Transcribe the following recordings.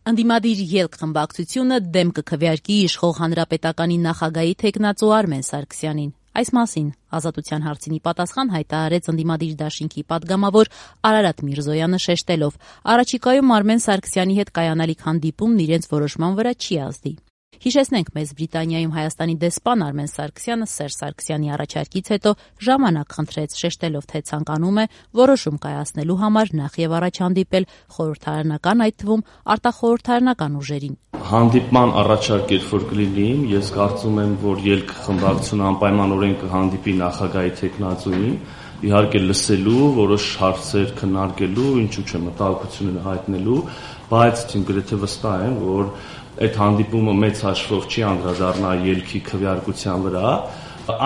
Ընդդիմադիր ելք խմբակցությունը դեմ կքվեարկի իշխող հանրապետականի նախագահի թեկնածու Արմեն Սարգսյանին։ Այս մասին Ազատության հարցինի պատասխան հայտարարեց ընդդիմադիր դաշինքի պատգամավոր Արարատ Միրզոյանը շեշտելով. առաջիկայում Արմեն Սարգսյանի հետ կայանալիք հանդիպումն իրենց որոշման վրա չի ազդի։ Հիշեցնենք, Մեծ Բրիտանիայում Հայաստանի դեսպան Արմեն Սարգսյանը Սերժ Սարգսյանի առաջարկից հետո ժամանակ խնդրեց, շեշտելով, թե ցանկանում է որոշում կայացնելու համար նախ եւ առաջ հանդիպել խորհրդարանական, այդ թվում արտախորհրդարանական ուժերին։ Հանդիպման առաջարկ երբ որ կլինի, ես կարծում եմ, որ ելք խմբակցությունը անպայմանորեն կհանդիպի նախագահի թեկնածուին, իհարկե լսելու, որոշ հարցեր քննարկելու, ինչու՞ չէ մտահոգությունները հայտնելու, բայց իմ գրեթե վստահ եմ, որ այդ հանդիպումը մեծ հաշվով չի անդրադառնա ելքի քվեարկության վրա։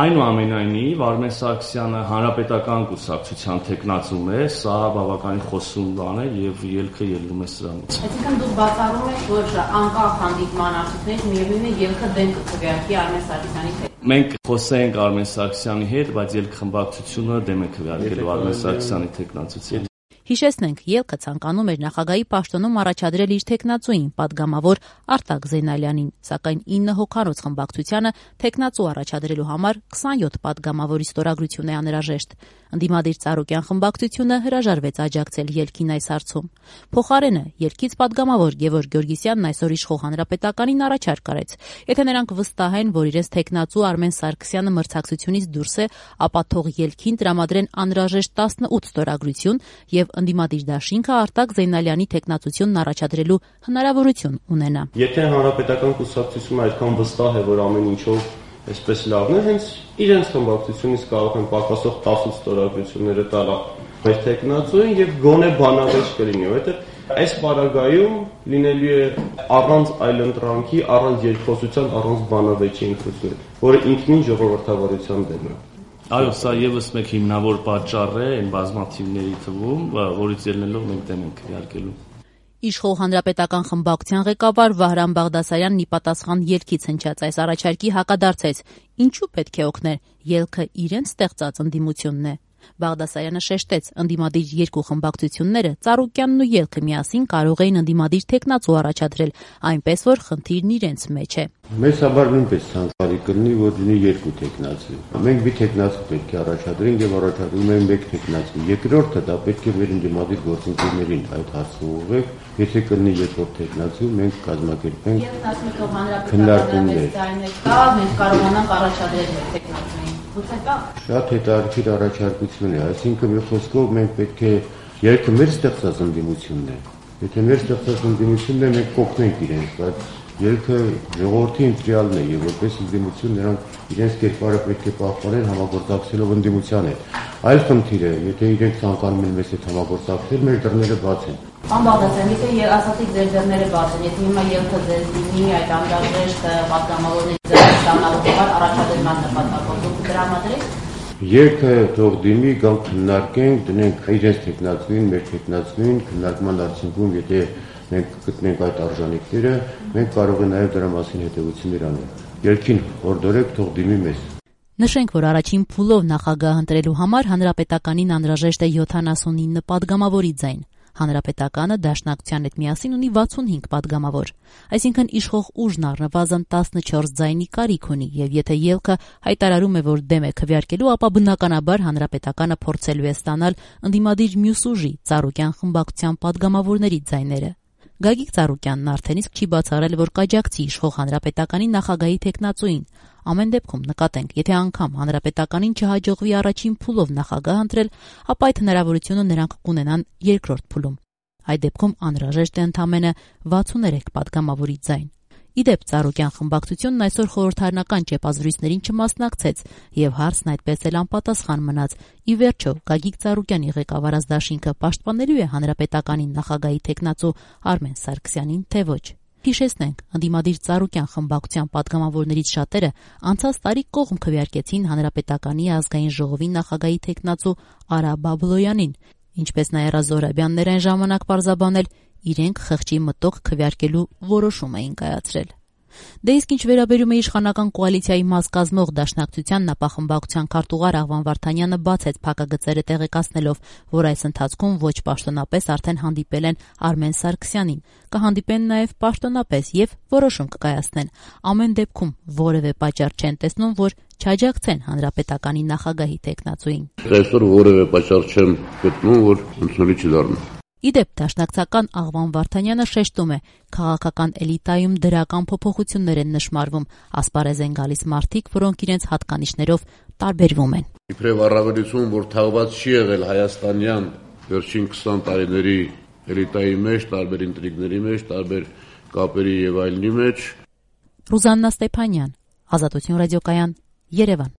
Այնուամենայնիվ Արմեն Սարգսյանը հանրապետական կուսակցության թեկնածուն է, սա բավականին խոսուն բան է եւ ելքը ելնում է սրանից։ Այսինքն դուք բացառում եք, որ անկախ հանդիպման արդյունքներից միևնույն է ելքը դեմ կքվեարկի Արմեն Սարգսյանի հետ։ Մենք խոսենք Արմեն Սարգսյանի հետ, բայց ելք խմբակցությունը դեմ է քվեարկելու Արմեն Սարգսյանի թեկնածությանը։ Հիշեցնենք, ելքը ցանկանում էր նախագահի պաշտոնում առաջադրել իր թեկնածուին, պատգամավոր Արտակ Զեյնալյանին, սակայն 9 հոգանոց խմբակցությանը թեկնածու առաջադրելու համար 27 պատգամավորի ստորագրություն է անհրաժեշտ։ Ընդդիմադիր Ծառուկյան խմբակցությունը հրաժարվեց աջակցել ելքին այս հարցում։ Փոխարենը ելքից պատգամավոր Գևորգ Գյորգիսյանն այսօր իշխող հանրապետականին առաջարկ արեց։ Եթե նրանք վստահ են, որ իրենց թեկնածու Արմեն Սարգսյանը մրցակցությունից դուրս է, ապա թող ելքին տրամադրեն անհրաժեշտ 18 ստորագրություն եւ ընդդիմադիր դաշինքը Արտակ Զեյնալյանի թեկնածությունն առաջադրելու հնարավորություն ունենա։ Եթե հանրապետական կուսակցությունը այդքան վստահ է, որ ամեն ինչով այսպես լավն է, հենց իրենց խմբակցությունից կարող են պակասող 18 ստորագրությունները տալ մեր թեկնածուին եւ գոնե բանավեճ կլինի, որովհետեւ այս պարագայում լինելու է առանց այլընտրանքի, առանց երկխոսության, առանց բանավեճի ընտրություն, որը ինքնին ժողովրդավարության դեմ է։ Այո, սա եւս մեկ հիմնավոր պատճառ է այն բազմաթիվների թվում, որից ելնելով մենք դեմ ենք քվեարկելու։ Իշխող հանրապետական խմբակցության ղեկավար Վահրամ Բաղդասարյանն ի պատասխան ելքից հնչած այս առաջարկի հակադարձեց. ինչու պետք է օգներ, ելքը իրենց ստեղծած ընդդիմությունն է։ Բաղդասարյանը շեշտեց, ընդդիմադիր երկու խմբակցությունները Ծառուկյանն ու ելքը միասին կարող էին ընդդիմադիր թեկնածու առաջադրել, այնպես որ խնդիրն իրենց մեջ է։ Մեզ համար նույնպես ցանկալի կլինի, որ լինի երկու թեկնածու։ Մենք մի թեկնածու պետք է առաջադրենք եւ առաջադրում ենք մեկ թեկնածու։ Երկրորդը դա պետք է մեր ընդդիմադիր գործընկերներին այդ հարցը ուղղենք։ Եթե կլինի երկրորդ թեկնածու, մենք կազմակերպենք քննարկումներ։ Մենք կարողանանք առաջադրել մեր թեկնածուին։ Շատ հետաքրքիր առաջարկություն է, այսինքն մի խոսքով մենք պետք է ելքը մեր ստեղծած ընդդիմությունն է։ Եթե մեր ստեղծած ընդդիմությունն է, մենք կօգնենք իրենց, բայց ելքը ժողովրդի ընտրյալն է եւ որպես ընդդիմություն նրանք իրենց կերպարը պետք է պահպանեն համագործակցելով ընդդիմության հետ։ Այլ խնդիր է, եթե իրենք ցանկանում են մեզ հետ համագործակցել, մեր դռները բաց են։ Պարոն Բաղդասարյան, եթե ասացիք ձեր դռները բաց են, եթե հիմա ելքը ձեզ դիմի այդ անհրաժեշտ պատգամավորների ստանալու համար առաջադրման նպատակով դուք դրամադրեք։ Ելքը թող դիմի, գանք քննարկենք, դնենք իրենց թեկնածուին, մեր թեկնածուին, քննարկման արդյունքում, եթե մենք գտնենք այդ արժանինքները, մենք կարող ենք նաև դրա մասին հետևություններ անել։ Ելքին հորդորեք, թող դիմի մեզ։ Նշենք, որ առաջին փուլով նախագահ ընտրելու համար հանրապետականին անհրաժեշտ է 79 պատգամավորի ձայն։ Հանրապետականը Դաշնակցության հետ միասին ունի 65 պատգամավոր, այսինքն իշխող ուժն առնվազն 14 ձայնի կարիք ունի, եւ եթե ելքը հայտարարում է, որ դեմ է քվեարկելու, ապա բնականաբար հանրապետականը փորձելու է ստանալ ընդդիմադիր մյուս ուժի Ծառուկյան խմբակցության պատգամավորների ձայները։ Գագիկ Ծառուկյանն արդեն իսկ չի բացառել, որ կաջակցի իշխող հանրապետականի նախագահի թեկնածուին։ Ամեն դեպքում նկատենք, եթե անգամ հանրապետականին չհաջողվի առաջին փուլով նախագահ ընտրել, ապա այդ հնարավորությունը նրանք կունենան երկրորդ փուլում։ Այդ դեպքում անհրաժեշտ է ընդամենը 63 պատգամավորի ձայն։ Իդեպ Ծառուկյան խմբակցությունն այսօր խորհրդարանական ճեպազրույցներին չմասնակցեց եւ հարցն այդպես էլ անպատասխան մնաց։ Ի վերջո Գագիկ Ծառուկյանի ղեկավարած դաշինքը պաշտպանելու է հանրապետականին նախագահի թեկնածու Արմեն Սարգսյանին, թե ոչ։ Հիշեցնենք, ընդդիմադիր Ծառուկյան խմբակցության պատգամավորներից շատերը անցած տարի կողմ քվեարկեցին հանրապետականի ազգային ժողովի նախագահի թեկնածու Արա Բաբլոյանին, ինչպես Նաիրա Զոհրաբյանն այն ժամանակ պարզաբանել, իրենք խղճի մտոք քվեարկելու որոշում էին կայացրել։ Դե իսկ ինչ վերաբերում է իշխանական կոալիցիայի մաս կազմող Դաշնակցության նախախմբակցության քարտուղար Աղվան Վարդանյանը բացեց փակագծերը տեղեկացնելով, որ այս ընթացքում ոչ պաշտոնապես արդեն հանդիպել են Արմեն Սարգսյանին, կհանդիպեն նաև պաշտոնապես եւ որոշում կկայացնեն։ Ամեն դեպքում որևէ պատճառ չեն տեսնում, որ չաջակցեն հանրապետականի նախագահի տեխնացուին։ Այսօր որևէ պատճառ չեմ գտնում, որ ընդունելի չդառնա։ Իդեպ Դաշնակցական Աղվան Վարդանյանը շեշտում է, քաղաքական էլիտայում դրական փոփոխություններ են նշմարվում, ասպարեզ են գալիս մարդիկ, որոնք իրենց հատկանիշներով տարբերվում են։ Իբրև առավելություն, որ թաղված չի եղել հայաստանյան վերջին 20 տարիների էլիտայի մեջ, տարբեր ինտրիգների մեջ, տարբեր կապերի եւ այլնի մեջ։ Ռուզաննա Ստեփանյան, Ազատություն ռադիոկայան, Երևան։